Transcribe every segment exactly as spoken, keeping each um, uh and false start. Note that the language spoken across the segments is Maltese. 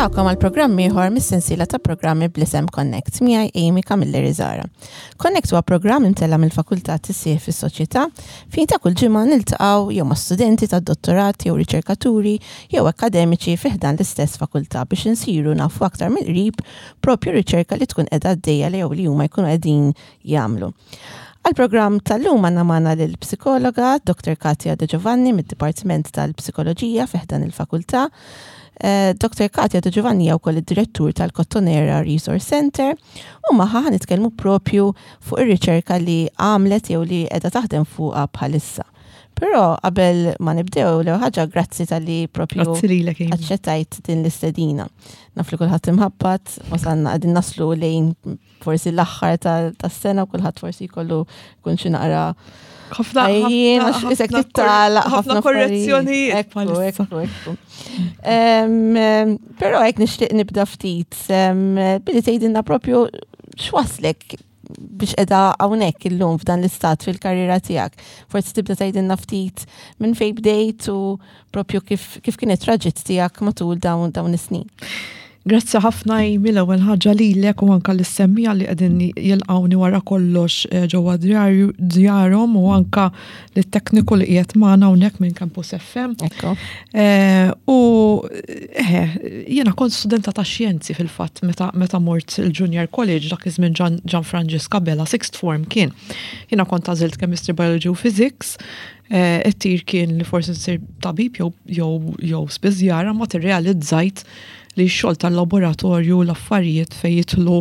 Nilqagħkom għal programm ieħor mis-sensiela ta' programmi bl-isem Connect miegħi Amy Camilleri Zara. Connect huwa programm imtella' mill-Fakultà Tisħiħ fis-Soċjetà fejn ta' kull ġimgħa niltaqgħu jew ma' studenti tad-dottorat jew riċerkaturi jew akkademiċi fi ħdan l-istess fakultà biex insiru nafu aktar mill-qrib propju riċerka li tkun qiegħda għaddejja li jew li huma jkunu qegħdin jagħmlu. Għal-programm tal-lum għandna magħna l-psikologa Doktor Katia De Giovanni mid-Dipartiment tal-Psikoloġija fi ħdan il-Fakultà. Eh, Doktor Katia De Giovanni hija wkoll id-direttur tal-Kottonera Resource Center u magħha ħa nitkellmu propju fuq ir-riċerka li għamlet jew li qiegħda taħdem fuqha bħalissa. Però qabel ma nibdew, l ħaġa, grazzi talli propju Grazzi lilek, Amy. aċċettajt din l-istedina. Naf li kulħadd imħabbat, wasalna, qegħdin naslu lejn forsi l-aħħar tas-sena u kulħadd forsi jkollu kun xi naqra ħafna għajjien, għax isek tittalaq ħafna korrezzjonijiet Ekku, bħalissa. ekku, ekku. Em, em, Però hekk nixtieq nibda ftit em, billi tgħidilna propju x'waslek biex qiegħda hawnhekk illum f'dan l-istat fil-karriera tiegħek. Forsi tibda tgħidilna ftit minn fejn bdejt u propju kif, kif kienet traġitt tiegħek matul dawn dawn is-snin. Grazzi ħafna, Amy, l-ewwel ħaġa lilek u anka lis-semmiegħa li qegħdin jilqawni wara kollox eh, ġewwa djar- djarhom u anka lit-tekniku li qiegħed magħna hawnhekk minn Campus F M. Ekku. Eh, U eh, jiena kont studenta ta' xjenzi fil-fatt meta, meta mort il-Junior College, dak iż-żmien Gian, Gian Franġisk Abela, sixth form kien. Jiena kont għażilt chemistry, biology u physics. Eh, It-tir kien li forsi nsir tabib jew jew jew spiżjara, ma tirrealizzajt li x-xogħol tal-laboratorju, l-affarijiet fejn jidħlu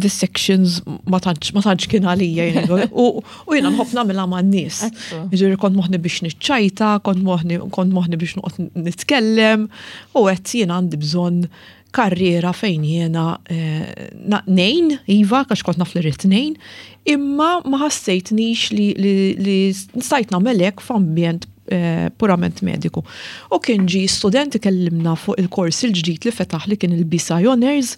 dissections, ma tantx ma tantx kien għalija jien. U u jiena nħobb nagħmilha man-nies. Ekku. Ġifieri kont moħni biex niċċajta, kont moħni, kont moħni biex noqgħod nitkellem u għedt jiena għandi bżonn karriera fejn jiena eh, na- ngħin, iva, għax kont naf li rrid ngħin, imma ma ħassejtnix li, li, li stajt nagħmel hekk f'ambjent eh, purament mediku. U kien ġi student ikellimna fuq il-kors il-ġdid li fetaħ, li kien il-B Sci Honors.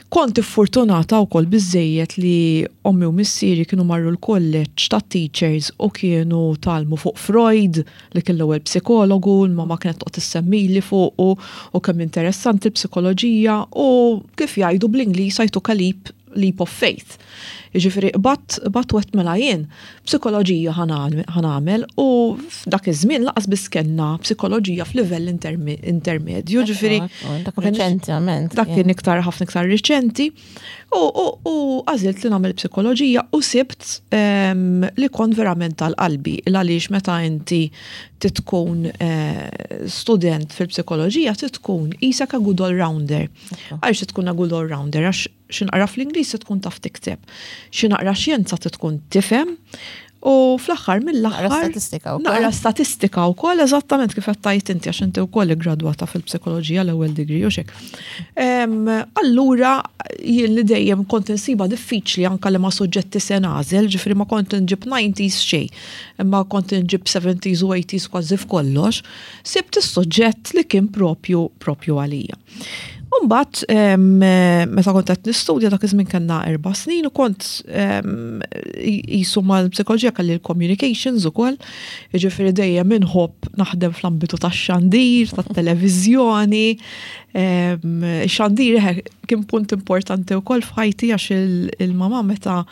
Kont fortunata wkoll biżejjed li ommi u missieri kienu marru l-kolleġġ ta' teachers u kienu tgħallmu fuq Freud, li kien l-ewwel psikologu, l-mama kienet toqgħod issemmili fuq u, u kemm interessanti l-psikoloġija, u kif jgħidu bl-Ingliż, I took a leap, leap of faith. Jiġifieri bat bat wet mela jien psikoloġija ħa nagħmel, u f'dak iż-żmien lanqas biss kellna psikoloġija f'livell interme- intermedju, ġifieri Ekku, dak ma kienx- reċentament. Dak kien iktar, ħafna iktar riċenti u, u, u għażilt li nagħmel psikoloġija u sibt em, li kont verament tal-qalbi, għaliex meta inti titkun eh, student fil-psikoloġija titkun qisek a good all-rounder. Għaliex tkun a good all-rounder? Għax xi naqra fl-Ingliż tkun taf tikteb, xi naqra xjenza tkun tifhem u fl-aħħar mill-aħħar Naqra statistika wkoll. Naqra statistika wkoll, eżattament kif qed tgħid inti, għax inti wkoll iggradwata fil-psikoloġija l-ewwel degree u xek. Em, Allura jien li dejjem kont insiba diffiċli anka li ma suġġetti se nagħżel, ġifieri ma kont nġib nineties xejn, imma kont nġib seventies u eighties kważi f'kollox, sibt is-suġġett li kien propju propju għalija. Umbat, meta kont qed nistudja, dak iż-żmien kellna erba' snin u kont em, qisu mal-psikoloġija kelli l-communications ukoll, jiġifieri dejjem inħobb naħdem fl-ambitu tax-xandir, tat-televiżjoni. em, Xandir eħe, kien punt importanti wkoll f'ħajti għax il- il-mama meta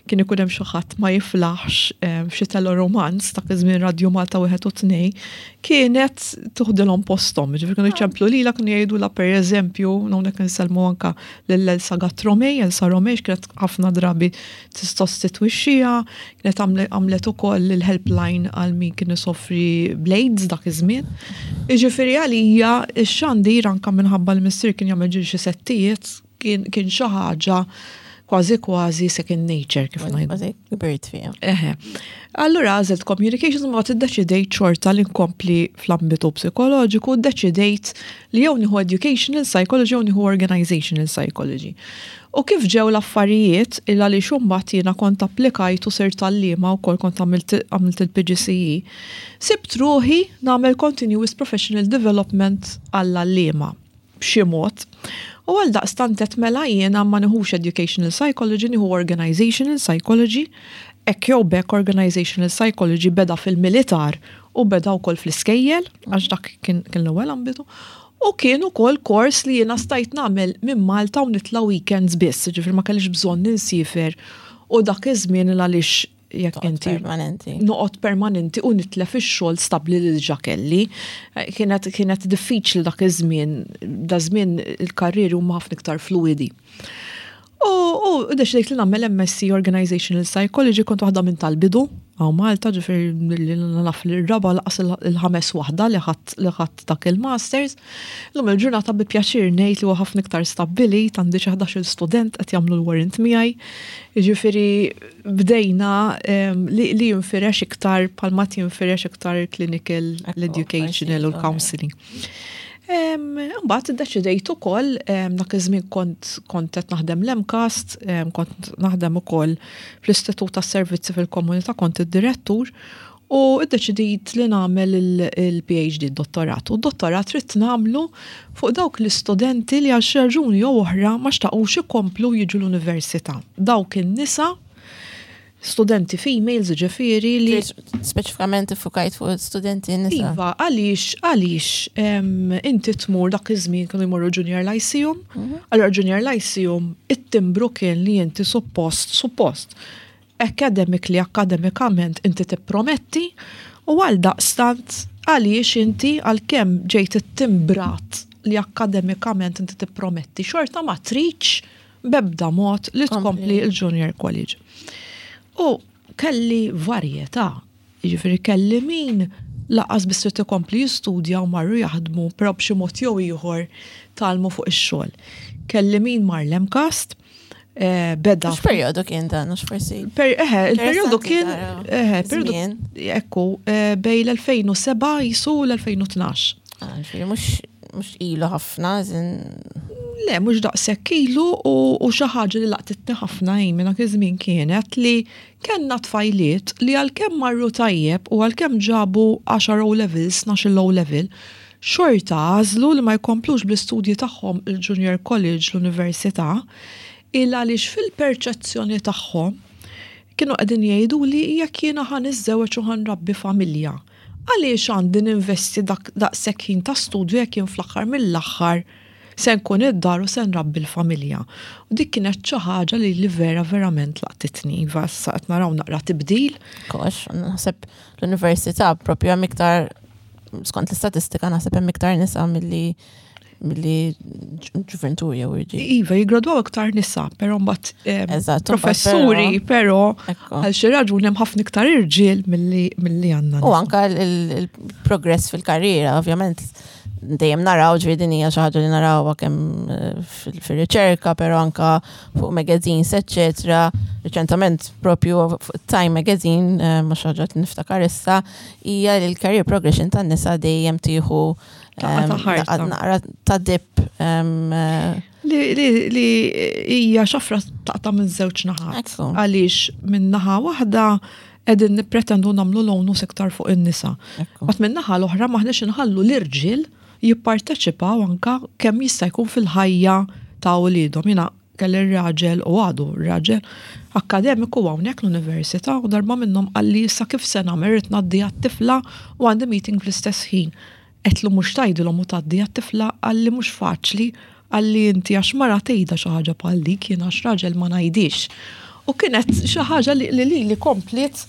kien ikun hemm xi ħadd ma jiflaħx em, f'xi teleromanz, dak iż-żmien Radio Malta wieħed u tnejn, kienet tuħdilhom posthom. Ġifieri kienu jċemplu lila, kienu jgħidulha, pereżempju, hawnhekk insellmu anka lil Elsa Gatt-Romej, Elsa Romej kienet ħafna drabi tissostitwixxiha, kienet għamle- għamlet ukoll il-helpline għal min kien isofri bl-AIDS dak iż-żmien. Jiġifieri għalija x-xandir, anka minħabba l-missier kien jagħmel ġieli xi settijiet, kien kien xi ħaġa kważi kważi second nature, kif ngħidu. Kważi kbirt fiha. Eħe. Allura għażilt communications, ma iddeċidejt xorta li nkompli fl-ambitu psikoloġiku, ddeċidejt li jew nieħu educational psychology jew nieħu organizational psychology. U kif ġew l-affarijiet, illa li xumbat jiena kont applikajt u sirt għalliema u kol kont għamilt għamilt il-P G C E, sibt ruħi nagħmel continuous professional development għall-għalliema b'xi mod. U għal daqstant għedt mela jiena ma nieħux educational psychology, nieħu organizational psychology. Hekk jew b'hekk, organizational psychology beda fil-militar u beda wkoll fl-iskejjel, għax dak kien kien l-ewwel ambitu. U kien ukoll kors li jiena stajt nagħmel minn Malta u nitla' weekends biss, ġifieri ma kellix bżonn insiefer u dak iż-żmien għaliex jekk inti permanenti. Noqgħod permanenti u nitlef ix-xogħol stabbli li diġà kelli. Kienet kienet diffiċli dak iż-żmien, da żmien il-karrieri huma ħafna iktar fluidi. U u deċidejt li nagħmel M S C Organizational Psychology. Kont waħda minn tal-bidu hawn Malta, ġifieri li naf li r-raba' lanqas il-ħames waħda li ħadt li ħadt dak il-masters. Illum il-ġurnata bi pjaċir ngħid li huwa ħafna iktar stabbilit, għandi xi ħdax-il student qed jagħmlu l-warrant miegħi. Ġifieri bdejna em, li, li jinfirex iktar palma jinfirex iktar clinical, Ekku, l-educational u I see, l-counseling. Mbagħad iddeċidejt ukoll, em, dak iż-żmien kont kont qed naħdem l-MCAST, em, kont naħdem ukoll fl-Istitut tas-Servizzi fil-Komunità, kont id-direttur, u iddeċidejt li nagħmel il-P H D, dottorat. U d-dottorat ridt nagħmlu fuq dawk l-istudenti li għal xi raġuni jew oħra ma xtaqux ikomplu jiġu l-università. Dawk in-nisa, studenti females ġifieri li Speċifikament iffukajt fuq studenti nisa. Iva, għaliex, għaliex em, inti tmur, dak iż-żmien kienu jmorru Junior Lyceum, allora Junior Lyceum it-timbru kien li inti suppost, suppost, academically, akademikament inti tipprometti u għal daqstant għaliex inti għalkemm ġejt ittimbrat li akademikament inti tipprometti, xorta ma tridx b'ebda mod li tkompli il-Junior College. U kelli varjetà, jiġifieri kelli min lanqas biss trid ikompli jistudja u marru jaħdmu, però b'xi mod jew ieħor tgħallmu fuq ix-xogħol. Kelli min mar l-MCAST, eh, beda. X'perjodu kien dan, mhux forsi? Per, eħe, il-perjodu Interessanti kien, tara eħe, periodu, żmien. Ekku, eh, bejn l-elfejn u sebgħa jisu l-elfejn u tnax. Ah, ġifieri mhux mhux ilu ħafna, żin. Le, mhux daqshekk ilu u, u xi ħaġa li laqtitni ħafna jien dak iż-żmien kienet li kellna tfajliet li għalkemm marru tajjeb u għalkemm ġabu għaxar O levels, tnax O level, xorta għażlu li ma jkomplux bl-istudji tagħhom il-Junior College, l-Università, il għaliex fil-perċezzjoni tagħhom kienu qegħdin jgħidu li jekk jiena ħa niżżewweġ u ħa nrabbi familja, għaliex għandi ninvesti dak daqshekk ħin ta' studju jekk jien fl-aħħar mill-aħħar se nkun id-dar u se nrabbi l-familja? U dik kienet xi ħaġa li li vera verament laqtitni. Iva, issa qed naraw naqra tibdil. Kox, naħseb l-università propju hemm iktar, skont l-istatistika, naħseb hemm iktar nisa milli milli ġuventur jew irġiel. Iva, jigradwaw iktar nisa, però mbagħad em, Eżatt, mbagħad professuri, però Ekku. għal xi raġuni hemm ħafna iktar irġiel milli milli għandna U nisa. anka il- il-progress fil-karriera, ovvjament, dejjem naraw, ġifieri din hija xi ħaġa li narawha kemm eh, fil- fir-riċerka, però anka fuq magazines, eccetera. Reċentament propju fuq Time Magazine, eh, ma xi ħaġa li niftakar issa, hija li l-career progression tan-nisa dejjem tieħu Daqqa ta' em, ħarta. daqqa naqra ta' dip em, eh, Li, li, li hija xafra taqta' minn żewġ naħat. Ekku. Għaliex minn naħa waħda qegħdin nippretendu nagħmlu l-onus iktar fuq in-nisa. Ekku. Mat minn naħa l-oħra maħniex inħallu l-irġiel jipparteċipaw anka kemm jista' jkun fil-ħajja ta' uliedhom. Jiena kelli raġel u għadu raġel akademiku hawnhekk l-università u darba minnhom qalli, "Issa kif se nagħmel, irrid ngħaddi għat-tifla u għandi meeting fl-istess ħin." Għedtlu, "Mhux tgħidilhom u tgħaddi għat-tifla?" Qalli, "Mhux faċli." Qalli, "Inti għax mara tgħidha xi ħaġa bħal dik, jien għax raġel ma ngħidix." U kienet xi ħaġa li li li kompliet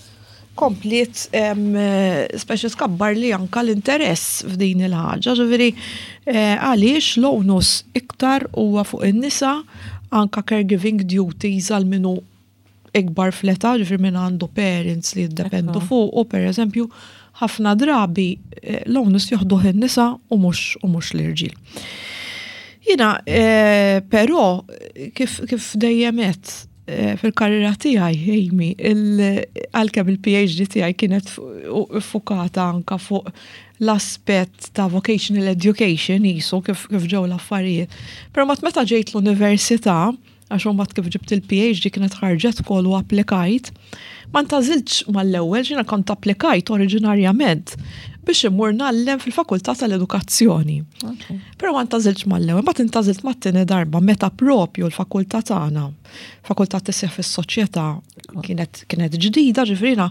kompliet em, speċi skabbar li anka l-interess f'din il-ħaġa. Ġifieri, eh, għaliex l-onus iktar huwa fuq in-nisa, anka caregiving duties għal minu ikbar fl-età, ġifieri min għandu parents li jiddependu Ekku. fuq, u per eżempju, ħafna drabi eh, l-onus joħduh in-nisa u mhux u mhux l-irġiel. Jiena, eh, però, kif, kif dejjem għedt, eh, fil-karriera tiegħi, Amy, il- għalkemm il-P H D tiegħi kienet fu- fukata anka fuq l-aspett ta' vocational education jisu kif, kif ġew l-affarijiet. Però mat meta ġejt l-università, għax mbagħad kif ġibt il-P H D kienet ħarġet call u applikajt, ma ntgħażiltx mal-ewwel. Jiena kont applikajt oriġinarjament Biex immur ngħallem fil-Fakultà tal-Edukazzjoni. Però ma ntgħażiltx mal-ewwel, mbagħad intgħażilt mat-tieni darba meta propju l-fakultà tagħna, Fakultà Tisħiħ fis-Soċjetà, kienet kienet ġdida, ġifieri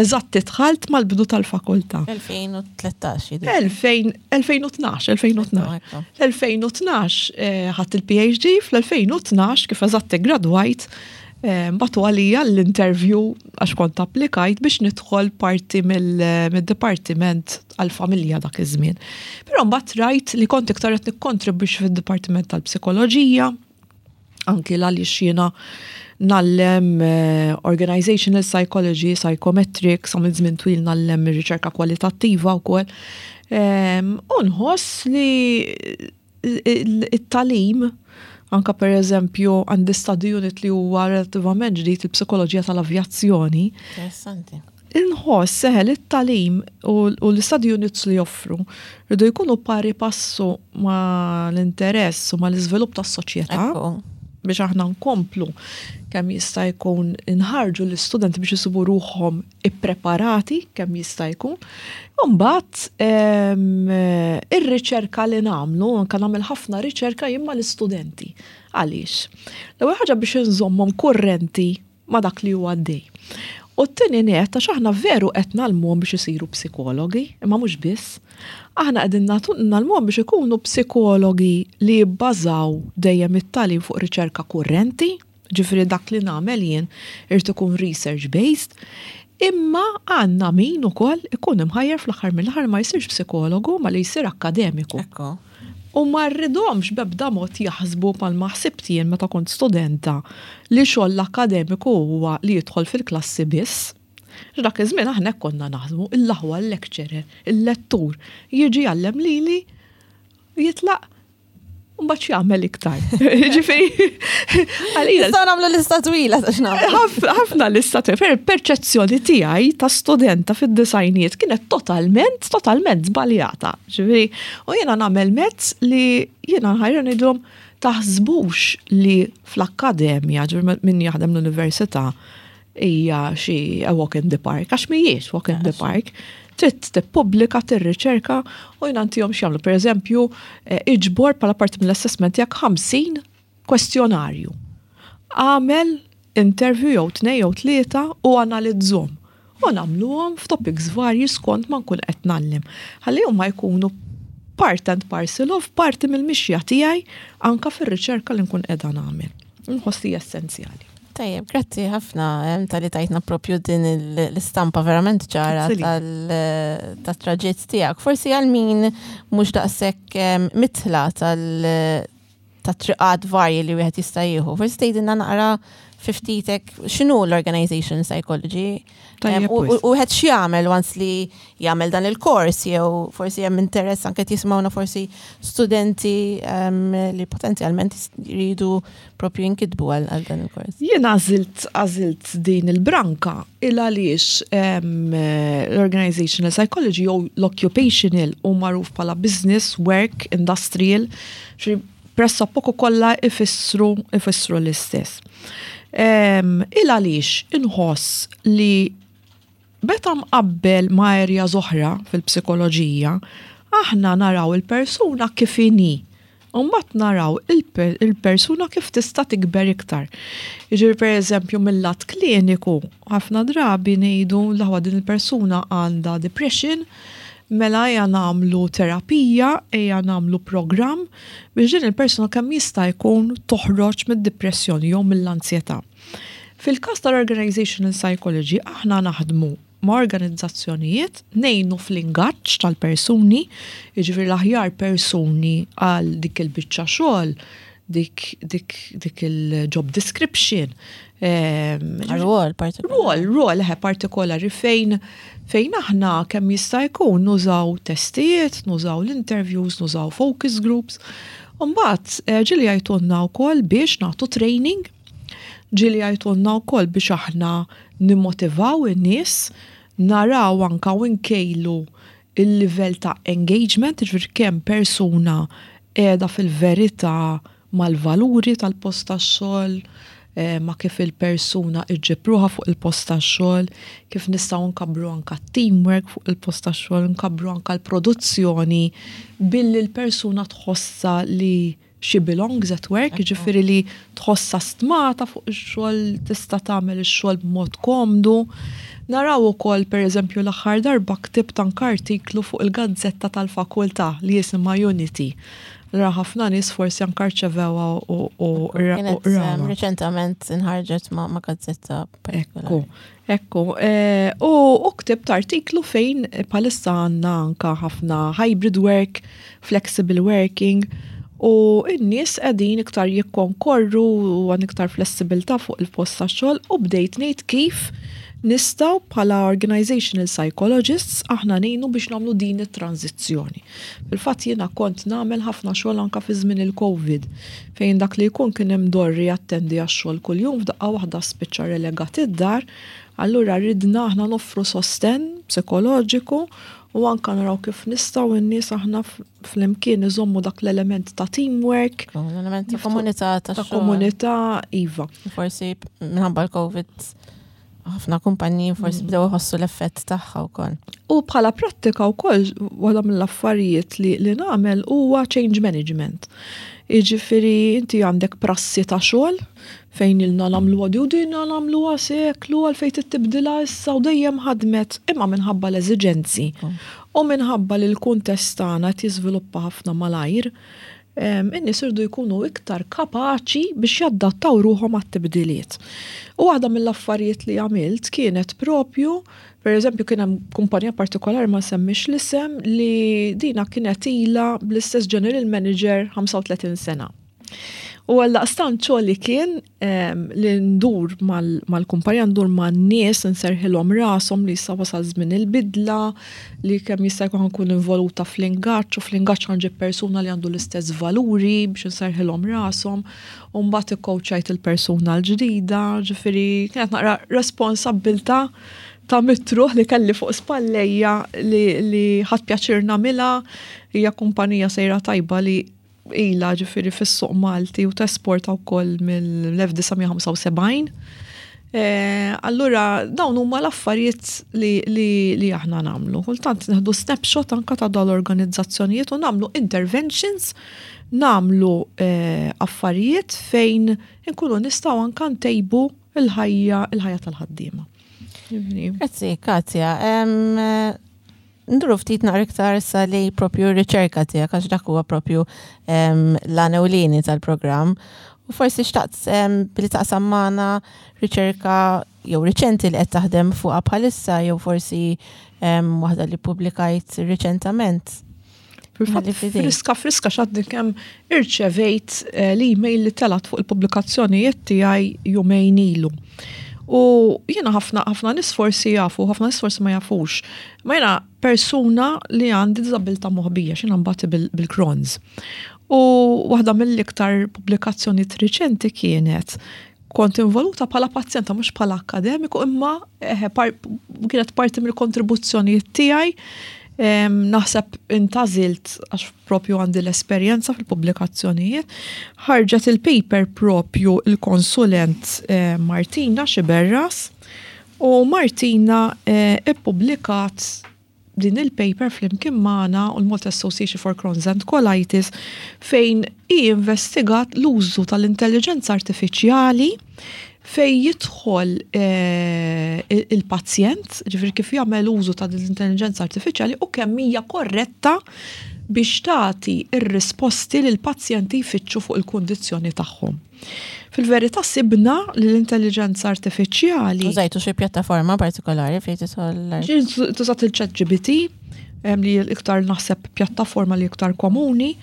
eżatt dħalt mal-bidu tal-fakultà. elfejn u tlettax jidher. elfejn, elfejn u tnax, elfejn u tnax. L-elfejn u tnax ħadt il-P H D, fl-elfejn u tnax kif eżatt gradwajt, bagħtu għalija l-interview għax kont applikajt biex nidħol parti mill-dipartiment għal-familja dak iż-żmien. Però mbagħad rajt li kont iktar qed nikkontribwixxi fid-dipartiment tal-psikoloġija, anki għaliex jiena ngħallem eh, organizational psychology, psychometrics, għamilt żmien twil ngħallem riċerka kwalitattiva wkoll. U nħoss li it-tagħlim, anka per eżempju għandi study unit li huwa relattivament ġdid, il-psikoloġija tal-avjazzjoni. Interessanti. Inħoss seħel it-tagħlim u l-study units li joffru rridu jkunu pari passu ma l-interess u ma l-iżvilupp tas-soċjetà biex aħna nkomplu kemm jista' jkun inħarġu l-istudenti biex isibu ruħhom ippreparati kemm jista' jkun. Mbagħad ir-riċerka li nagħmlu, anke nagħmel ħafna riċerka jien mal-istudenti. Għaliex? L-ewwel ħaġa biex inżommhom kurrenti ma' dak li huwa għaddej. U t-tieni net, għax aħna veru qed ngħallmuhom biex isiru psikologi, imma mhux biss. Aħna qegħdin ngħallmuhom biex ikunu psikologi li jibbażaw dejjem it-tagħlim fuq riċerka kurrenti, ġifieri dak li nagħmel jien irid ikun research based, imma għandna min ukoll ikun imħajjar fl-aħħar mill-aħħar ma jsirx psikologu ma li jsir akkademiku. Ekku. U ma rridhomx b'ebda mod jaħsbu bħalma ħsibt jien meta kont studenta li xogħol l-akkademiku huwa li jidħol fil-klassi biss. Dak iż-żmien aħna hekk konna naħsbu, l-aħwa l-lecturer, il-lettur, jiġi jgħallem lili, jitlaq, u mbagħad jagħmel iktar. Ġifieri, għalina Nistgħu nagħmlu lista twila ta' x'nagħmlu. Ħafna lista twila. Per perċezzjoni tiegħi ta' studenta fid-disgħinijiet kienet totalment, totalment żbaljata. Ġifieri, u jiena nagħmel mezz li jiena nħajjar ngħidilhom taħsbux li fl-akkademja, ġifieri min jaħdem l-università, hija xi a walk in the park, għax mhijiex walk in the park. Trid tippubblika, tirriċerka u jiena ntihom x'jagħmlu. Per eżempju, eh, iġbor bħala parti mill-assessment tiegħek ħamsin kwestjonarju. Għamel interview jew tnej jew tlieta u analizzhom. U nagħmluhom f'topics varji skont ma nkun qed ngħallem. Ħalli huma jkunu part and parcel of parti mill-mixja tiegħi anka fir-riċerka li nkun qiegħda nagħmel. Nħoss li essenzjali. Tajjeb, grazzi ħafna em, talli tajtna propju din il- l-istampa verament ċara Grazzi li. tal-traġitt tiegħek. Forsi għal min mhux daqshekk em, mitla tal- ta' triqat varji li wieħed jista' jieħu. Forsi tgħidilna naqra fiftitek x'inhu l-organization psychology? Tajjeb Em, U wisq. u wieħed x'jagħmel once li jagħmel dan il-kors jew forsi hemm interess anke jisimgħuna forsi studenti em, li potenzjalment jridu propju jinkitbu għal għal dan il-kors. Jien għażilt għażilt din il-branka il għaliex em, l-organizational psychology jew l-occupational u magħruf bħala business, work, industrial, xi pressappoco kollha ifissru ifissru l-istess. Em, Il għaliex inħoss li meta mqabbel ma' areas oħra fil-psikoloġija, aħna naraw il-persuna kif inhi. U mbagħad naraw il-per- il-persuna kif tista' tikber iktar. Jiġifieri, per eżempju, mill-lat kliniku, ħafna drabi ngħidu l din il-persuna għandha depression, mela ejja nagħmlu terapija, ejja nagħmlu programm biex din il-persuna kemm jista' jkun toħroġ mid-depressjoni jew mill-ansjetà. Fil-każ tal-organizational psychology aħna naħdmu ma' organizzazzjonijiet, ngħinu fl-ingaġġ tal-persuni, jiġifieri l-aħjar persuni għal dik il-biċċa xogħol, dik, dik, dik il-job description. Ehm, Rwol partikolari. Rwol, rwol eħe partikolari fejn fejn aħna kemm jista' jkun nużaw testijiet, nużaw l-interviews, nużaw focus groups. Mbagħad eh, ġieli jgħajtulna wkoll biex nagħtu training, ġieli jgħajtulna wkoll biex aħna nimmotivaw in-nies, naraw anka u nkejlu il-livell ta' engagement, ġifieri kemm persuna qiegħda fil-verità mal-valuri tal-post tax-xogħol, eh, ma' kif il-persuna iġġib ruħha fuq il-post tax-xogħol, kif nistgħu nkabbru anka teamwork fuq il-post tax-xogħol, nkabbru anka l-produzzjoni billi l-persuna tħossa li she belongs at work, ġifieri li tħossa stmata fuq ix-xogħol, tista' tagħmel ix-xogħol b'mod komdu. Naraw ukoll, pereżempju, l-aħħar darba ktibt anke artiklu fuq il-gazzetta tal-fakultà li jisimha Unity. Ra ħafna nies forsi anke rċevewha u u Kienet u um, reċentament inħarġet ma' ma' gazzetta Ekku, partikolari. Ekku. Eh, U u ktibt artiklu fejn bħalissa għandna anka ħafna hybrid work, flexible working, u n-nies qegħdin iktar jikkonkorru u għan iktar flessibilità fuq il-post tax-xogħol u bdejt ngħid kif nistgħu bħala organizational psychologists aħna ngħinu biex nagħmlu din it-tranzizzjoni. Fil-fatt jiena kont nagħmel ħafna xogħol anka fi żmien il-Covid, fejn dak li jkun kien imdorri jattendi għax-xogħol kuljum, f'daqqa waħda spiċċa relegat id-dar, allura ridna aħna noffru sosten psikoloġiku u anka naraw kif nistgħu n-nies aħna flimkien iżommu dak l-element ta' teamwork, L-element ta' komunità ta' ta' xogħol. Komunità, iva. Forsi minħabba l-Covid ħafna kumpaniji forsi bdew iħossu l-effett tagħha wkoll. U bħala prattika wkoll, waħda mill-affarijiet li, li nagħmel huwa change management. Jiġifieri inti għandek prassi ta' xogħol fejn ilna nagħmlu għadi u dinna nagħmluha seklu, għalfejn tibdilha issa u dejjem ħadmet, imma minħabba l-eżiġenzi u minħabba li l-kuntest tagħna qed jiżviluppa ħafna malajr, em, in-nies irdu jkunu iktar kapaċi biex jaddattaw ruħhom għat-tibdiliet. U waħda mill-affarijiet li għamilt kienet propju, per eżempju, kien hemm kumpanija partikolari, ma semmix l-isem, li dina kienet ila bl-istess general manager ħamsa u tletin sena. U għaldaqstant xogħli kien em, li ndur mal- mal-kumpanija, ndur man-nies, nserħilhom rashom li issa wasal żmien il-bidla, li kemm jista' jkun nkun involuta fl-ingaġġ u fl-ingaġġ ħa nġib persuna li għandu l-istess valuri biex nserħilhom rashom, u mbagħad ikkowċajt il-persuna l-ġdida, ġifieri kienet naqra responsabbiltà ta' mitt ruħ li kelli fuq spallejja li, li ħadt pjaċir nagħmilha. Hija kumpanija sejra tajba li ila ġifieri fis-suq Malti u tesporta wkoll mill-elf disa' mija ħamsa u sebgħin. Eh, allura dawn huma l-affarijiet li, li, li aħna nagħmlu. Kultant nieħdu snapshot anka ta' dawn l-organizzazzjonijiet u nagħmlu interventions, nagħmlu eh, affarijiet fejn inkunu nistgħu anka ntejbu il-ħajja il-ħajja tal-ħaddiema. Grazzi, Katja. Em, Nduru ftit naqra iktar sa li propju riċerka tiegħek, għax dak huwa propju em, l-għan ewlieni tal-programm. U forsi xtaqt em, billi taqsam magħna riċerka jew riċenti li qed taħdem fuqha bħalissa jew forsi em, waħda li publikajt riċentament. Fil-fatt, Ħalli f'idejk. Friska friska, għadni kemm irċevejt eh, l-email li telat fuq il-pubblikazzjonijiet tiegħi jumejn ilu. U jiena ħafna ħafna nies forsi jafu, ħafna nies forsi ma jafux. Ma jiena persuna li għandi diżabilità moħbija, x'jiena nbati bil-Crohn's. U waħda mill-iktar pubblikazzjonijiet riċenti kienet kont involuta bħala pazjenta, mhux bħala akademiku, imma eh, par, kienet parti mill-kontribuzzjonijiet tiegħi. Em, naħseb intgħażilt għax propju għandi l-esperjenza fil-pubblikazzjonijiet. Ħarġet il-paper propju il-konsulent eh, Martina Xiberras u Martina eh, ippubblikat din il-paper flimkien magħna u l-Malta Association for Crohn's and Colitis, fejn i investigat l-użu tal-intelligenza artifiċjali fej jidħol eh, il-pazjent, ġifieri kif jagħmel użu ta' l-intelligenza artifiċjali u kemm hija korretta biex tagħti ir-risposti li l-pazjenti jfittxu fuq il-kundizzjoni tagħhom. Fil-verità sibna li l-intelligenza artifiċjali Użajtu xi pjattaforma partikolari fejn tidħol l- Ġie tużat il-Chat G P T, em, li iktar naħseb pjattaforma li iktar komuni,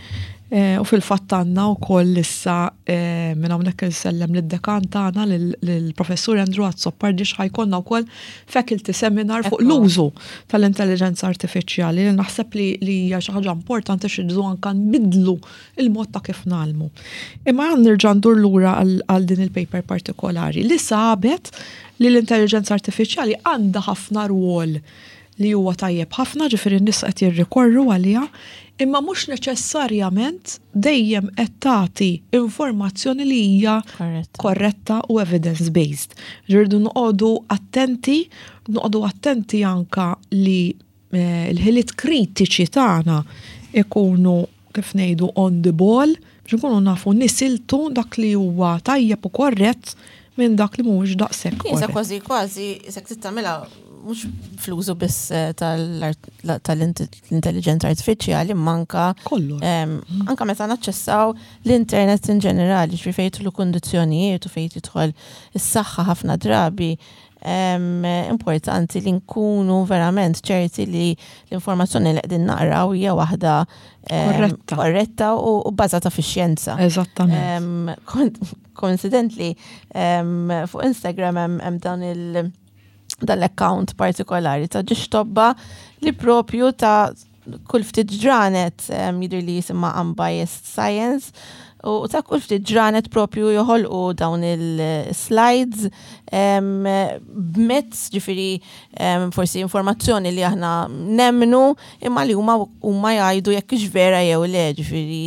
eh, u fil-fatt għandna wkoll issa, eh, minn hawnhekk insellem lid-dekan tagħna, lill-professur Andrew Azzopardi, ħa jkollna wkoll faculty seminar fuq Ekku. l-użu tal-intelligenza artifiċjali, li naħseb li li hija xi ħaġa importanti xi anka nbidlu il-mod ta' kif ngħallmu. Imma għan nerġa' ndur lura għal għal din il-paper partikolari li sabet li l-intelligenza artifiċjali għandha ħafna rwol li huwa tajjeb ħafna, ġifieri n-nies qed jirrikorru għaliha, imma mhux neċessarjament dejjem qed tagħti informazzjoni li hija korretta u evidence-based. Irridu noqogħdu attenti, noqogħdu attenti anka li eh, l-ħiliet kritiċi tagħna ikunu, kif ngħidu, on the ball biex nkunu nafu nisiltu dak li huwa tajjeb u korrett minn dak li mhuwiex daqshekk. Isa kważi kważi qisek tagħmilha mhux fl-użu biss eh, tal-intelligenza artifiċjali, manka Kollu. Anka meta naċċessaw l-internet in ġenerali, ġifieri fejn jidħlu kundizzjonijiet u fejn tidħol is-saħħa, ħafna drabi importanti li nkunu verament ċerti li l-informazzjoni li qegħdin naqraw hija waħda korretta, korretta u bbażata fix-xjenza. Eżattament. Coincidentally, fuq Instagram hemm dan il- dan l-account partikolari ta' żewġ tobba li propju ta' kull ftit ġranet, jidher li jisimha Unbiased Science, u ta' kull ftit ġranet propju joħolqu dawn il-slides b'mezz, ġifieri forsi informazzjoni li aħna nemnu imma li huma huma jgħidu jekk hix vera jew le, ġifieri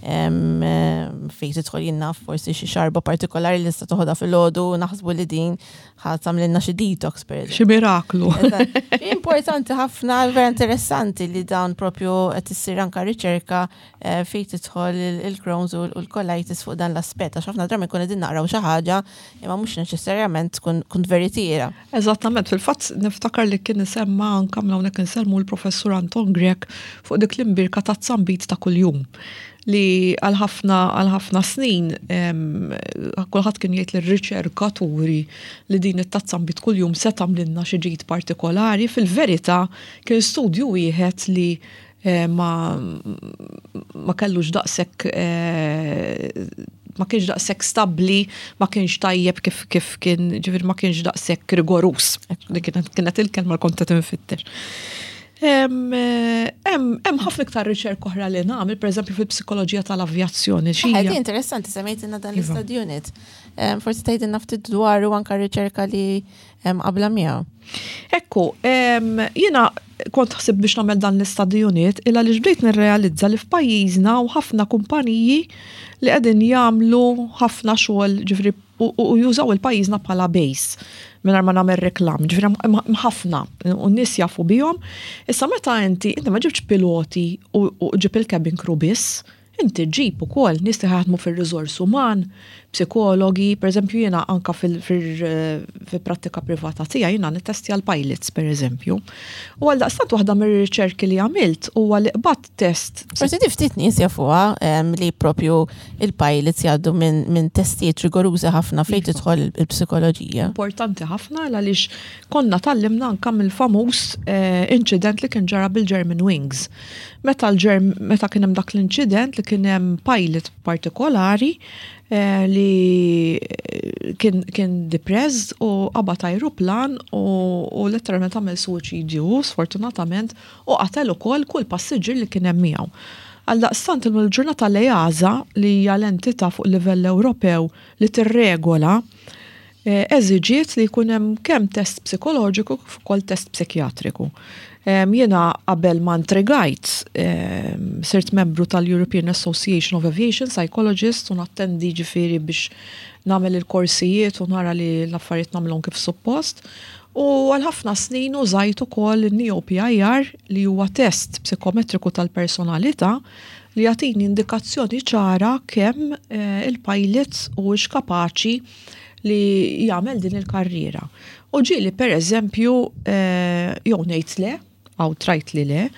fejn tidħol jiena forsi xi xarba partikolari li tista' toħodha filgħodu, naħsbu li din ħa tagħmlilna xi detox, per Xi miraklu. Importanti ħafna, vera interessanti li dawn propju qed issir anka riċerka eh, fejn tidħol il-Crohn's u l-colitis fuq dan l-aspett, għax ħafna drabi nkun qegħdin naqraw xi ħaġa imma mhux neċessarjament tkun veritiera. Eżattament, fil-fatt niftakar li kien isemma anka hawnhekk insellmu l-professur Anton Grech fuq dik l-imbierka ta' zambit ta' kuljum li għal ħafna għal ħafna snin kulħadd kien jgħid lir-riċerkaturi li din it-tazza nbid kuljum se tagħmlilna xi ġid partikolari. Fil-verità kien studju wieħed li eh, ma ma kellux daqshekk eh, ma kienx daqshekk stabbli, ma kienx tajjeb kif kif kien, ġifieri ma kienx daqshekk rigorus. Li kienet kienet il-kelma li kont qed infittex. Hemm ħafna iktar riċerka oħra li nagħmel, pereżempju fil-psikoloġija tal-avjazzjoni. Ħedi interessanti, semmejtilna dan Iva. l-study unit. Forsi tgħidilna ftit dwaru anka riċerka li qabla miegħu. Ekku, jiena kont ħsib biex nagħmel dan l-study unit illa li bdejt nirrealizza li f'pajjiżna u ħafna kumpaniji li qegħdin jagħmlu ħafna xogħol, ġifieri u jużaw il-pajjiżna bħala base mingħajr ma nagħmel reklam, ġifieri ħafna u n-nies jafu bihom. Issa meta inti inti ma ġibx piloti u ġib il-cabin crew biss, inti ġib ukoll nies li ħadmu fir-riżors uman, psikologi, per eżempju jiena anka fil-prattika privata tiegħi jiena nittestja l-pilots, per eżempju. U għal daqstant waħda mir-riċerki li għamilt huwa li qbadt test. Forsi di ftit nies jafuha li propju il-pilots jgħaddu minn testijiet rigorużi ħafna fejn Iva. tidħol il-psikoloġija. Importanti ħafna għaliex konna tgħallimna anka mill-famuż eh, incident li kien ġara bil-German Wings. Meta l-Germ meta kien hemm dak l-incident li kien hemm pilot partikolari eh, li kien, kien depressed u qabad ajruplan u, u letteralment għamel suwiċidju, sfortunatament, u qatel ukoll kull passiġġier li kien hemm miegħu. Għaldaqstant il-ġurnata l-EASA, li hija l-entità fuq livell Ewropew li tirregola, eh, eżiġiet li jkun hemm kemm test psikoloġiku kif ukoll test psikjatriku. Em, Jiena qabel ma intrigajt em, sirt membru tal-European Association of Aviation Psychologists u nattendi, ġifieri biex nagħmel il-korsijiet u nara li l-affarijiet nagħmilhom kif suppost. U għal ħafna snin użajt ukoll il-NEO-P I R, li huwa test psikometriku tal-personalità li jagħtini indikazzjoni ċara kemm eh, il-pilots u kapaċi li jagħmel din il-karriera. U ġieli, per eżempju, eh, jew ngħid le, outright li le,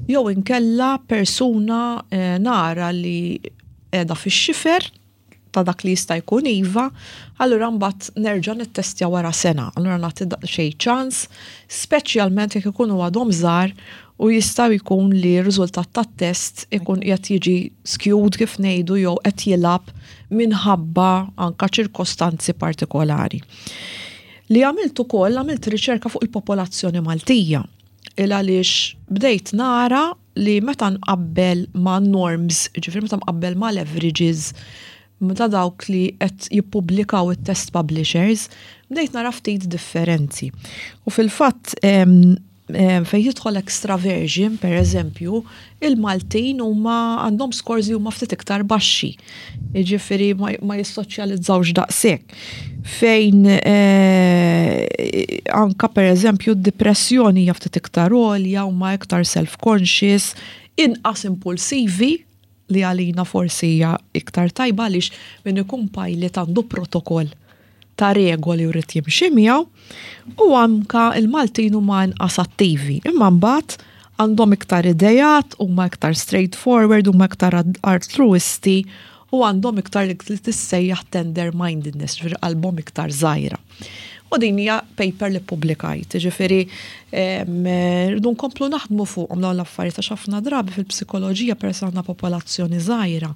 jew inkella persuna eh, nara li qiegħda fix-xifer ta' dak li jista' jkun iva, allura mbagħad nerġa' nittestja wara sena. Allura nagħti xejn ċans, speċjalment jekk ikunu għadhom żgħar u jista' jkun li r-riżultat tat-test ikun qed jiġi skewed, kif ngħidu, jew qed jilgħab minħabba anka ċirkostanzi partikolari. Li għamilt ukoll, għamilt riċerka fuq il-popolazzjoni Maltija. Il għaliex bdejt nara li meta nqabbel ma' norms, ġifieri meta nqabbel ma' averages, meta dawk li qed jippubblikaw it-test publishers, bdejt nara ftit differenzi. U fil-fatt Fejn jidħol extraversion, per eżempju, il-Maltin huma għandhom scores li huma ftit iktar baxxi. Jiġifieri ma, ma jissoċjalizzawx daqshekk. Fejn eh, anka, per eżempju, d-depressjoni hija ftit iktar għolja, huma iktar self-conscious, inqas impulsivi, li għalina forsi hija iktar tajba għaliex min ikun pilot għandu protokoll ta' regoli u jrid jimxi miegħu, u anka il-Maltin huma inqas attivi. Imma mbagħad għandhom iktar idejat, huma iktar straightforward, huma iktar altruisti u għandhom iktar li tissejjaħ tender mindedness, ġifieri qalbhom iktar żgħira. U din hija paper li publikajt, ġifieri rridu nkomplu naħdmu fuqhom dawn l-affarijiet għax ħafna drabi fil-psikoloġija, peress għandna popolazzjoni żgħira,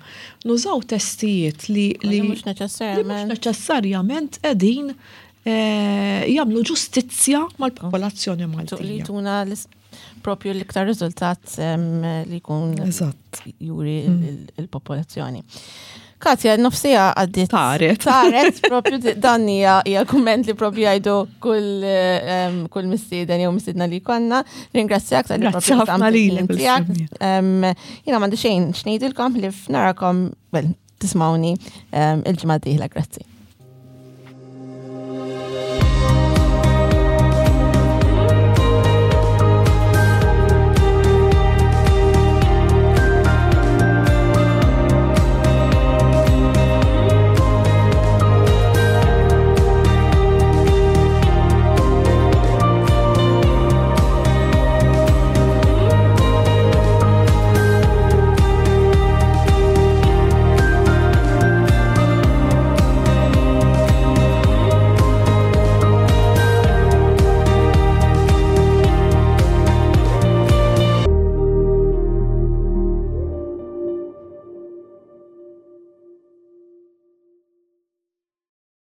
nużaw testijiet li li mhux li mhux neċessarjament. neċessarjament qegħdin eh, jagħmlu ġustizzja mal-popolazzjoni Li Maltija. tuna l- propju l-iktar riżultat em, li jkun Eżatt. juri il- il-popolazzjoni. Katja, nofs siegħa għaddiet. Taret. Taret, propju di- dan hija hija kumment li propju jgħidu kull em, kull mistieden jew mistiedna li konna. Ringrazzjak tal-li Grazzi propju ħafna qsamt lilek il-ħin tiegħek. bil-semmi. Em, Jiena m'għandi xejn x'ngħidilkom li f'narakom, well, tismawni em, il-ġimgħa d-dieħla, grazzi.